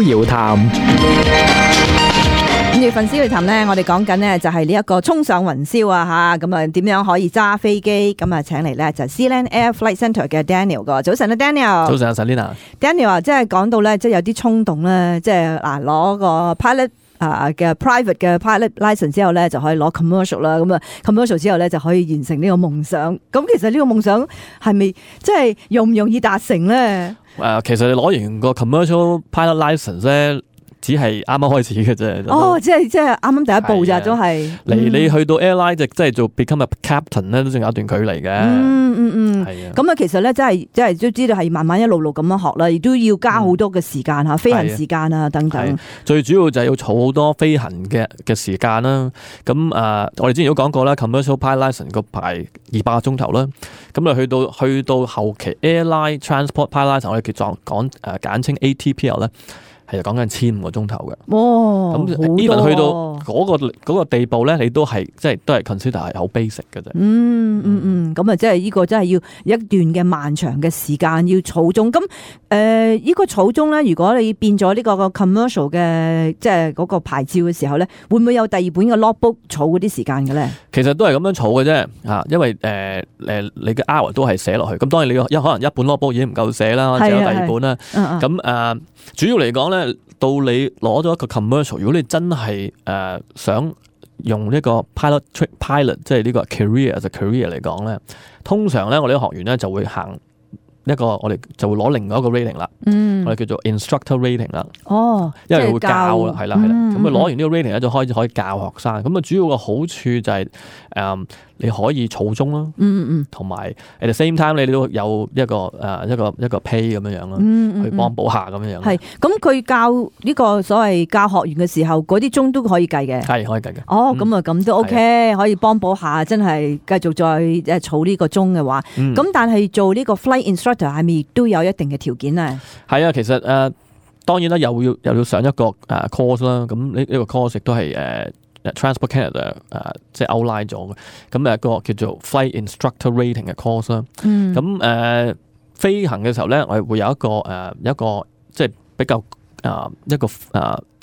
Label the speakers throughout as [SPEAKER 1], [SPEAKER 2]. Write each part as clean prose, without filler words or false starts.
[SPEAKER 1] 遙談。
[SPEAKER 2] 跟住《分逍遙談》咧，我哋講緊呢就係呢一個衝上雲霄啊嚇，咁啊點樣可以揸飛機？咁啊請嚟咧就係 Sealand Air Flight Centre 嘅 Daniel 個。早晨啊 Daniel。
[SPEAKER 1] 早晨啊 Selina。Daniel
[SPEAKER 2] 啊，即係講到咧，即係有啲衝動咧，即係嗱攞個 pilot 嘅 private 嘅 pilot license 之後咧，就可以攞 commercial 啦。咁啊 commercial 之後咧，就可以完成呢個夢想。咁其實呢個夢想係咪即係容唔容易達成咧？
[SPEAKER 1] 其實你攞完個 commercial pilot license 咧，只係啱啱開始嘅啫。
[SPEAKER 2] 哦，即係啱啱第一步咋，都係。
[SPEAKER 1] 你去到 airline 即係做 become a captain 咧，都仲有一段距離嘅。係啊。
[SPEAKER 2] 咁啊，其實咧，真係都知道係慢慢一路咁樣學啦，亦都要加好多嘅時間嚇，飛行時間啊等等。
[SPEAKER 1] 最主要就係要儲好多飛行嘅時間啦。咁我哋之前都講過啦 ，commercial pilot license 個排200個鐘頭啦。咁啊，去到後期 airline transport pilot license 我哋簡稱 ATPL 咧。係講緊15個鐘頭嘅，咁 even 去到嗰個地步咧，你都係都係 consider 係好 basic 嘅啫。
[SPEAKER 2] 咁啊，即係呢個真係要一段嘅漫長嘅時間要儲中。咁呢個儲中咧，如果你變咗呢個 commercial 嘅即係嗰個牌照嘅時候咧，會唔會有第二本嘅 logbook 儲嗰啲時間嘅咧？其實
[SPEAKER 1] 都係咁樣儲嘅啫，嚇，因為你嘅 hour 都係寫落去。咁當然你可能一本 logbook 已經唔夠寫啦，只有第二本啦。咁主要嚟講咧，到你攞咗一個 commercial， 如果你真係想用呢個 pilot 即係呢個 career as a career 嚟講咧，通常咧我哋啲學員咧就會行一個，我哋就會攞另外一個 rating 啦，我哋叫做 instructor rating 啦。因為會教啦，係啦。咁啊攞完呢個 rating 咧，就開始可以教學生。咁啊主要個好處就係你可以儲鐘啦，同埋 at the same time 你都有一個 pay 咁樣樣咯，去幫補下咁樣樣。
[SPEAKER 2] 係，咁佢教呢個所謂教學員嘅時候，嗰啲鐘都可以計嘅。
[SPEAKER 1] 係可以計嘅。
[SPEAKER 2] 咁啊咁都 OK，可以幫補下，真係繼續再儲呢個鐘嘅話。咁但係做呢個 flight instructor 係咪都有一定嘅條件咧？
[SPEAKER 1] 係啊，其實當然啦，又要上一個course 啦。咁呢個 course 亦都係Transport Canada 即係 outline 咗嘅。咁一個叫做 Flight Instructor Rating 嘅 course 啦。咁飛行嘅時候咧，我哋會有一個即係比較一個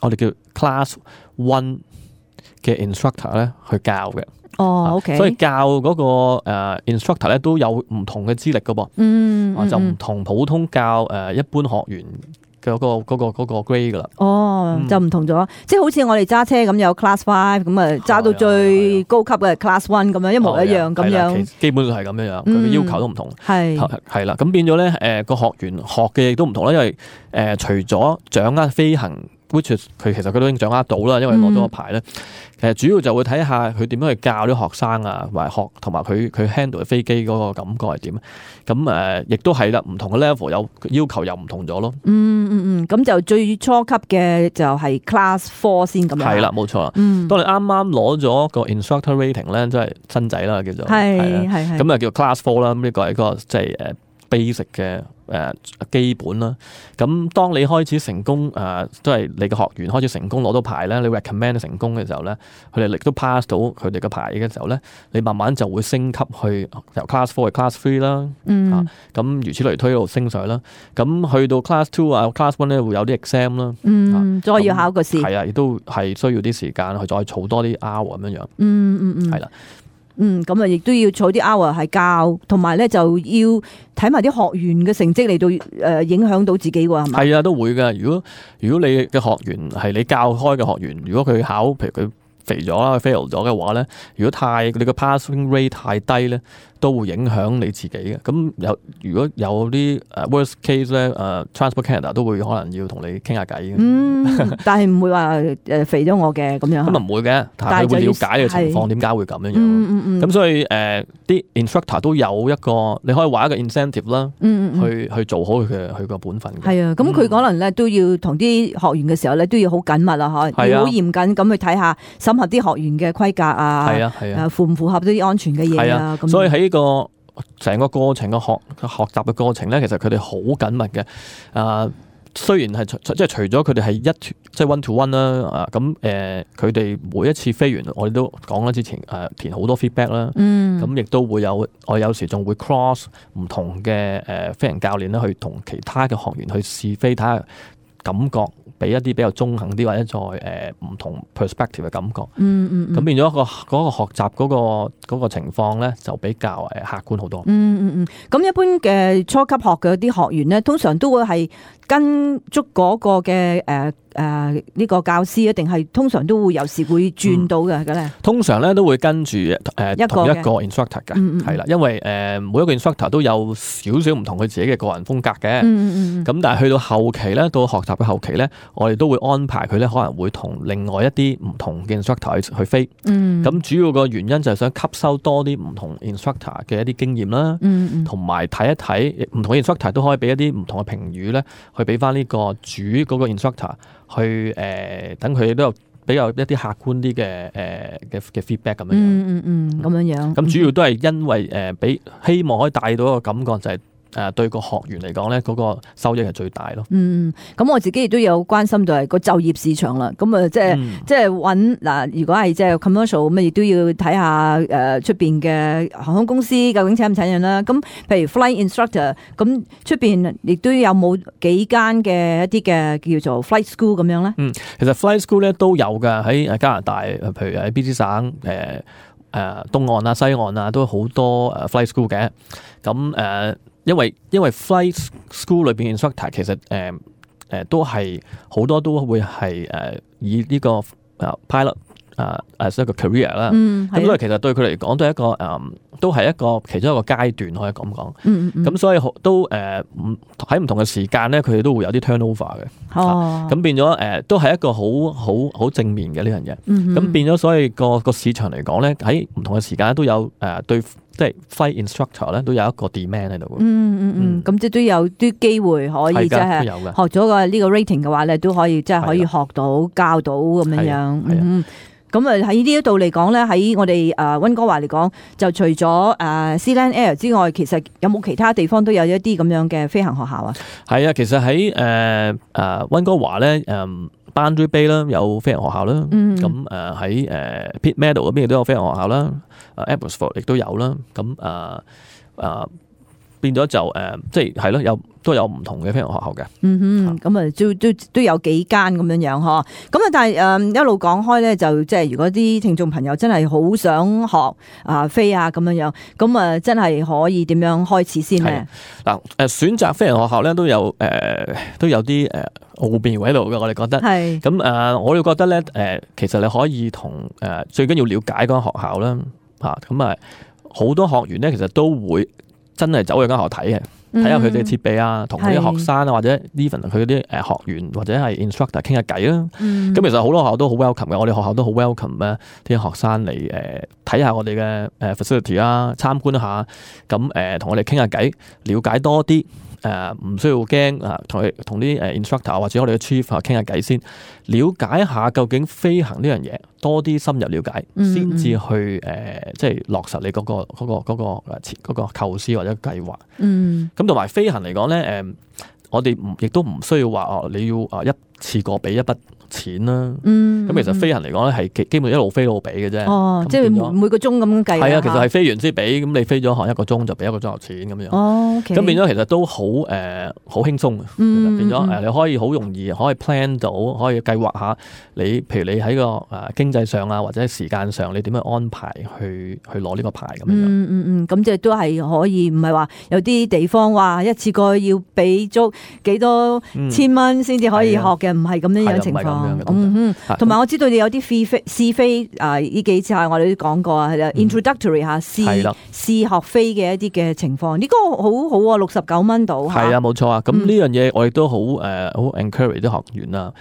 [SPEAKER 1] 我哋叫 Class 1嘅 instructor 咧去教嘅。
[SPEAKER 2] OK。所
[SPEAKER 1] 以教嗰個instructor 咧都有唔同嘅資歷噶噃。就唔同普通教一般學員嘅嗰個 grade 噶啦。
[SPEAKER 2] 就唔同咗，即係好似我哋揸車咁有 Class 5，咁啊揸到最高級嘅 Class 1咁樣，一模一樣咁樣。基本上係咁樣樣，佢嘅要求都唔同。係啦，咁變咗咧，個學員學嘅亦都唔同啦，因為除咗掌握飛行，which 佢其實佢都已經掌握到啦，因為攞咗個牌咧。其實主要就會睇下佢點樣去教啲學生啊，同埋佢 handle 飛機嗰個感覺係點。咁亦都係啦，唔同嘅 level 有要求又唔同咗咯。咁就最初級嘅就係 Class 4先咁樣。係啦，
[SPEAKER 1] 冇錯啦。當你啱啱攞咗個 instructor rating 咧，即係新仔啦，叫做係。咁啊叫 Class 4啦。咁呢個係一個即係basic 嘅基本啦。咁當你開始成功即係你嘅學員開始成功攞到牌咧，你 recommend 成功嘅時候咧，佢哋亦都 pass 到佢哋嘅牌嘅時候咧，你慢慢就會升級去由 Class 4去 Class 3啦。咁如此類推一路升上去啦。咁去到 Class 2啊 Class 1咧會有啲 exam 啦。再要考個試。係啊，亦都係需要啲時間去再儲多啲 hour 咁樣樣。係啦。
[SPEAKER 2] 咁啊，亦都要儲啲 hour 係教，同埋咧就要睇埋啲學員嘅成績嚟到影響到自己喎，係咪？係啊，都會㗎。如果你嘅學員係你教開嘅學員，如果佢考，譬如佢肥咗啦，佢 fail 咗嘅話咧，如果你個 passing rate 太低咧，都會影響你自己嘅。咁如果有啲worst case 咧，Transport Canada 都會可能要同你傾下偈嘅。但係唔會話肥咗我嘅咁樣。咁唔會嘅，但係佢會了解嘅情況點解會咁樣樣。咁所以啲 instructor 都有一個，你可以話一個 incentive 啦，去做好佢個本分嘅。係啊，咁佢可能咧都要同啲學員嘅時候咧都要好緊密啊，要好嚴謹咁去睇下審核啲學員嘅規格啊，符唔符合啲安全嘅嘢啊。所以喺呢個成個過程嘅學習嘅過程咧，其實佢哋好緊密嘅。雖然係即係除咗佢哋係即係 one to one 啦，咁佢哋每一次飛完，我哋都講啦，之前填好多 feedback 啦，咁亦都會我有時仲會 cross 唔同嘅飛行教練咧，去同其他嘅學員去試飛，睇下感覺
[SPEAKER 1] 俾一啲比較中肯啲或者再唔同 perspective 嘅感覺。咁變咗嗰個學習嗰個情況咧，就比較客觀好多。
[SPEAKER 2] 咁一般嘅初級學嘅啲學員咧，通常都會係跟足嗰個嘅呢個教師，定係通常都會有時會轉到嘅咧？通常咧
[SPEAKER 1] 都會跟住同一個 instructor 嘅，係啦，因為每一個 instructor 都有少少唔同佢自己嘅個人風格嘅。咁但係去到後期咧，到學習嘅後期咧，我哋都會安排佢咧，可能會同另外一啲唔同嘅 instructor 去飛。咁主要個原因就係想吸收多啲唔同 instructor 嘅一啲經驗啦，同埋睇一睇唔同嘅 instructor 都可以俾一啲唔同嘅評語咧，去俾翻呢個主嗰個 instructor 去等佢都有比較一啲客觀啲嘅feedback 咁樣。咁樣。咁主要都係因為俾希望可以帶到一個感覺就係。對個學員嚟講咧，嗰個收益係最大咯。咁我自己亦都有關心到係個就業市場啦。咁啊，即係揾嗱，如果係即係 commercial 咁，亦都要睇下出邊嘅航空公司究竟請唔請人啦。咁譬如 flight instructor，咁出邊亦都有冇幾間嘅一啲嘅叫做 flight school 咁樣咧？其實 flight school 咧都有㗎，喺加拿大，譬如喺 BC 省東岸啊、西岸啊，都好多flight school 嘅。咁因為 flight school 裏邊 instructor 其實都係好多都會係以呢個 pilot as 一個 career 啦。咁所以其實對佢嚟講都係一個其中一個階段可以咁講。咁所以都喺唔同嘅時間咧，佢哋都會有啲 turnover 嘅。咁變咗都係一個好正面嘅呢樣嘢。咁變咗所以個市場嚟講咧，喺唔同嘅時間都有對。即係 flight instructor 咧，都有一個 demand 喺度。咁即係都有啲機會可以即係學咗個呢個 rating 嘅話咧，都可以即係可以學到教到咁樣樣。咁喺呢一度嚟講咧，喺我哋溫哥華嚟講，就除咗Sealand Air 之外，其實有冇其他地方都有一啲咁樣嘅飛行學校啊？係啊，其實喺溫哥華咧Boundary Bay 啦，有飛行學校啦。咁喺Pitt Meadow 嗰邊亦都有飛行學校啦。Abbotsford 亦都有啦。咁變咗就即係係咯，都有唔同嘅飛行學校嘅。咁都有幾間咁樣樣嗬。咁啊，但係一路講開咧，就即係如果啲聽眾朋友真係好想學飛啊咁樣樣，咁啊真係可以點樣開始先咧？嗱選擇飛行學校咧都有啲奧妙喺度嘅，我哋覺得。咁我哋覺得咧其實你可以同最緊要了解嗰間學校啦。咁好多學員咧，其實都會真係走去間學校睇嘅，睇下佢哋嘅設備啊，同啲學生啊，或者 even 佢啲學員或者係 instructor 傾下偈啦。咁其實好多學校都好 welcome 嘅，我哋學校都好 welcome 咧啲學生嚟睇下我哋嘅facility 啊，參觀一下，咁同我哋傾下偈，了解多啲。唔需要驚同啲instructor 或者我哋嘅 chief 傾下偈先，了解下究竟飛行呢樣嘢，多啲深入了解，先至去即係落實你嗰個構思或者計劃。咁同埋飛行嚟講咧，我哋亦都唔需要話你要一次過俾一筆錢啦。咁其實飛行嚟講咧係基本一路飛一路俾嘅啫。即係每個鐘咁計。係啊，其實係飛完先俾，咁你飛咗學一個鐘就俾一個鐘頭錢咁樣。咁變咗其實都好輕鬆嘅。變咗你可以好容易可以 plan 到，可以計劃下你，譬如你喺個經濟上啊或者時間上，你點樣安排去攞呢個牌咁樣。咁即係都係可以，唔係話有啲地方話一次過要俾足幾多千蚊先至可以學嘅，唔係咁樣樣情況。同埋我知道你有啲試飛呢幾次我哋都講過啊，introductory 試學飛嘅一啲嘅情況，呢個好好啊，69蚊到。係啊，冇錯啊。咁呢樣嘢我亦都好encourage 啲學員啊。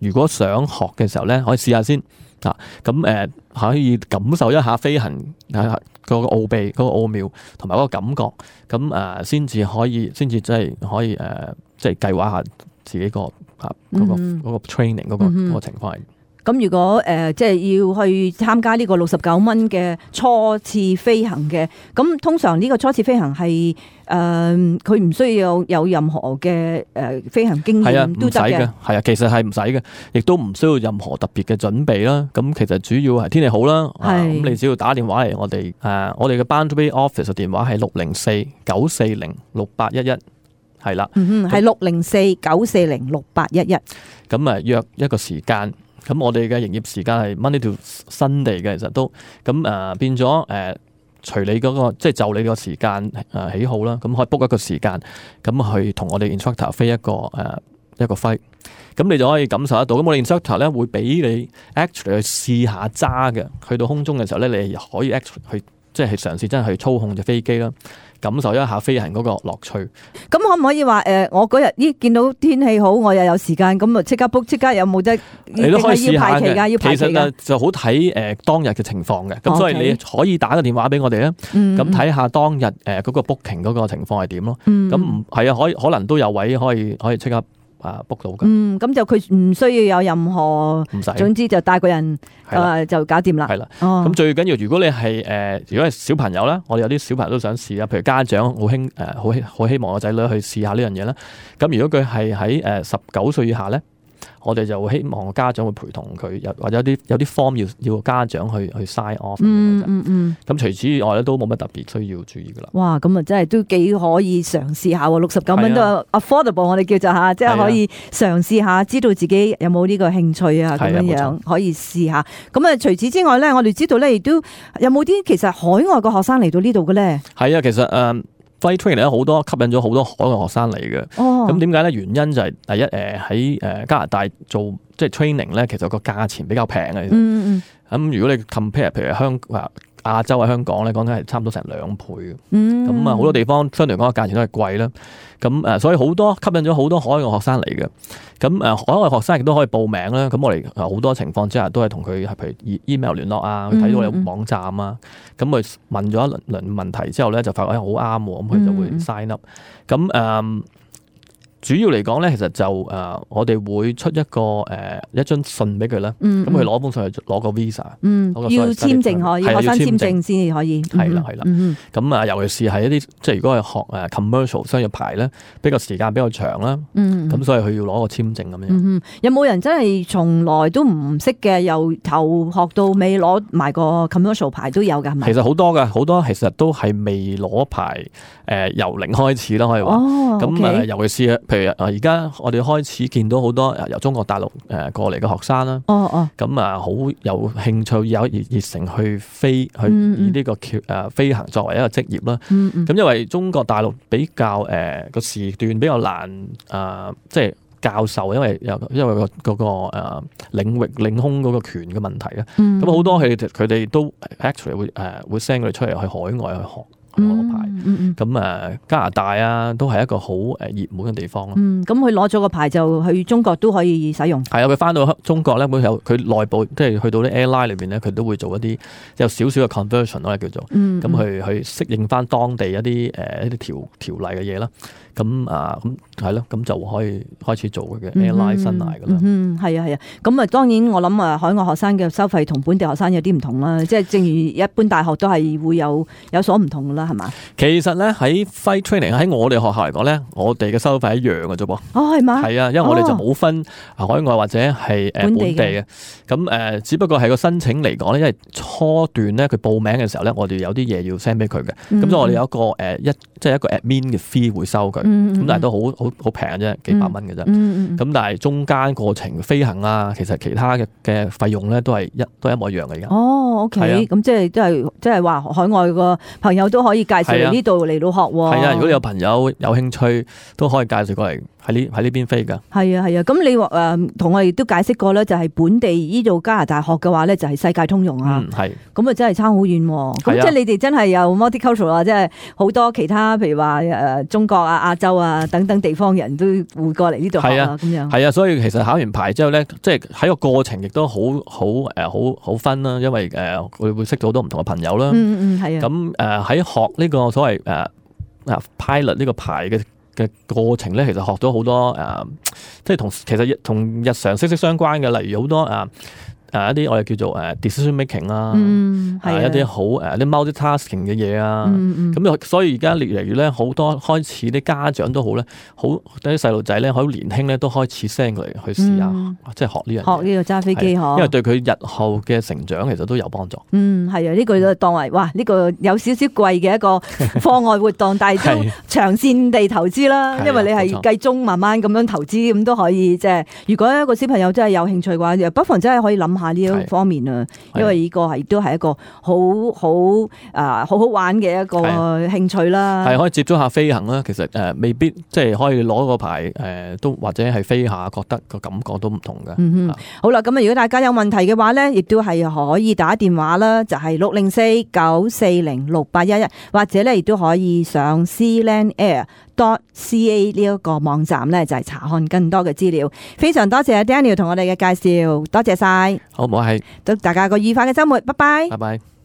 [SPEAKER 1] 如果想學嘅時候咧，可以試下先咁可以感受一下飛行嗰個奧秘、嗰個奧妙同埋嗰個感覺，咁先至真係可以即係計劃下自己嗰個 training 嗰個情況係。咁如果即係要去參加呢個69蚊嘅初次飛行嘅，咁通常呢個初次飛行係佢唔需要有任何嘅飛行經驗都得嘅。係啊，其實係唔使嘅，亦都唔需要任何特別嘅準備啦。咁其實主要係天氣好啦。咁你只要打電話嚟我哋嘅 Boundary Office 嘅電話係604-940-6811。係啦，係604-940-6811。咁約一個時間。咁我哋嘅營業時間係 Monday to Sunday嘅，其實都咁變咗隨你嗰個即係就你個時間喜好啦，咁可以 book 一個時間，咁去同我哋 instructor 飛一個 flight，咁你就可以感受得到。咁我哋 instructor 咧會俾你 actually 去試下揸嘅，去到空中嘅時候咧，你可以 actually 去即係嘗試真係去操控隻飛機啦。感受一下飛行嗰個樂趣。
[SPEAKER 2] 咁可唔可以話我嗰日見到天氣好，我又有時間，咁啊即刻 book， 即刻有冇得？
[SPEAKER 1] 你都可以試下嘅。
[SPEAKER 2] 要排期㗎。
[SPEAKER 1] 其實就好睇當日嘅情況嘅。咁所以你可以打個電話俾我哋啊。咁睇下當日嗰個 booking 嗰個情況係點咯。咁係啊，可能都有位可以即刻book 到嘅。
[SPEAKER 2] 咁就佢唔需要有任何，唔使，總之就帶個人就搞掂啦。係啦。咁最緊要，如果你係如果係小朋友啦，我哋有啲小朋友都想試啊，譬如家長好希望個仔女去試下呢樣嘢啦。咁如果佢係喺19歲以下咧，我哋就希望家長會陪同佢，或者有啲 form 要家長去 sign off。咁除此以外咧，都冇乜特別需要注意噶啦。哇，咁啊真係都幾可以嘗試下喎，69蚊都 affordable，我哋叫做嚇，即係可以嘗試下，知道自己有冇呢個興趣啊，咁樣可以試下。咁啊，除此之外咧，我哋知道咧，亦都有冇啲其實海外嘅學生嚟到呢度嘅咧？
[SPEAKER 1] 係啊，其實Flight training 咧好多吸引咗好多海外學生嚟嘅。咁點解咧？原因就係第一喺加拿大做即係 training 咧，其實個價錢比較平嘅。咁如果你 compare 譬如亞洲喺香港咧，講緊係差唔多成2倍嘅。咁好多地方相對嚟講個價錢都係貴啦。咁所以好多吸引咗好多海外學生嚟嘅。咁海外學生亦都可以報名啦。咁我哋好多情況之下都係同佢譬如 email 聯絡啊，睇到有網站啊，咁佢問咗一輪問題之後咧，就發覺好啱喎，咁佢就會 sign up。咁主要嚟講咧，其實就我哋會出一張信俾佢啦。咁佢攞封信去攞個 visa。
[SPEAKER 2] 要簽證可以，學生簽證先至可以。
[SPEAKER 1] 係啦。咁尤其是係一啲即係如果係學commercial 商業牌咧，比較時間比較長啦。咁所以佢要攞個簽證咁樣。
[SPEAKER 2] 有冇人真係從來都唔識嘅，由頭學到尾攞埋個 commercial 牌都有㗎？係咪？
[SPEAKER 1] 其實好多㗎，好多其實都係未攞牌，由零開始啦，可以話。咁尤其是譬如而家我哋開始見到好多由中國大陸過嚟嘅學生啦，咁好有興趣有熱誠去飛，去以呢個飛行作為一個職業啦。咁因為中國大陸比較個時段比較難即係教授，因為嗰個領域領空嗰個權嘅問題啊。咁好多佢哋都 actually 會 send 佢哋出嚟去海外去學。攞牌，咁加拿大啊，都係一個好熱門嘅地方咯。
[SPEAKER 2] 咁佢攞咗個牌就去中國都可以使用。
[SPEAKER 1] 係啊，佢翻到中國咧，佢內部即係去到啲 airline 裏邊咧，佢都會做一啲有少少嘅 conversion 咯，叫做咁去適應翻當地一啲條例嘅嘢啦。咁係咯，咁就可以開始做佢嘅 airline 生涯噶啦。
[SPEAKER 2] 係啊。咁當然我諗海外學生嘅收費同本地學生有啲唔同啦。即係正如一般大學都係會有所唔同噶啦，係嘛？
[SPEAKER 1] 其實咧喺 flight training 喺我哋學校嚟講咧，我哋嘅收費一樣嘅啫噃。
[SPEAKER 2] 係嘛？
[SPEAKER 1] 係啊，因為我哋就冇分海外或者係本地嘅。咁只不過係個申請嚟講咧，因為初段咧佢報名嘅時候咧，我哋有啲嘢要 send 俾佢嘅。咁所以我哋有一個即係一個 admin 嘅 fee 會收佢。咁但係都好平嘅啫，幾百蚊嘅啫。咁但係中間過程飛行啊，其實其他嘅費用咧都係一模一樣嘅而家。
[SPEAKER 2] OK，咁即係話海外個朋友都可以介紹嚟呢度嚟到學。
[SPEAKER 1] 係啊，如果你有朋友有興趣，都可以介紹過嚟喺呢邊飛噶。
[SPEAKER 2] 係啊。咁你同我哋都解釋過咧，就係本地呢度加拿大學嘅話咧，就係世界通用啊。係。咁啊真係差好遠。咁即係你哋真係有 multicultural 啊，即係好多其他譬如話中國啊、亞洲啊等等地方人都會過嚟呢度學啊，咁樣。係啊，
[SPEAKER 1] 所以其實考完牌之後咧，即係喺個過程亦都好分啦，因為佢會識到好多唔同嘅朋友啦。係啊。咁喺學呢個所謂pilot 呢個牌嘅過程咧，其實學咗好多即係其實同日常息息相關嘅，例如好多一啲我哋叫做decision making 啦，一啲好啲 multitasking 嘅嘢啊，咁所以而家越嚟越咧好多開始啲家長都好咧，好啲細路仔咧好年輕咧都開始 send 佢嚟去試下，即係學呢樣嘢，
[SPEAKER 2] 學呢個揸飛機嗬，
[SPEAKER 1] 因為對佢日後嘅成長其實都有幫助。
[SPEAKER 2] 係啊，呢個就當為哇呢個有少少貴嘅一個課外活動，但係都長線地投資啦，因為你係計中慢慢咁樣投資，咁都可以即係。如果一個小朋友真係有興趣嘅話，不妨真係可以諗下呢一方面啊，因為呢個係都係一個好玩嘅一個興趣啦。係
[SPEAKER 1] 可以接觸下飛行啦，其實未必即係可以攞個牌都或者係飛下，覺得個感覺都唔同嘅。
[SPEAKER 2] 好啦，咁啊，如果大家有問題嘅話咧，亦都係可以打電話啦，就係604-940-6811，或者咧亦都可以上 sealandair.ca 呢一個網站咧，就係查看更多嘅資料。非常多謝阿 Daniel 同我哋嘅介紹，多謝晒。
[SPEAKER 1] 好，唔好係，
[SPEAKER 2] 祝大家個愉快嘅週末，拜拜。
[SPEAKER 1] 拜拜。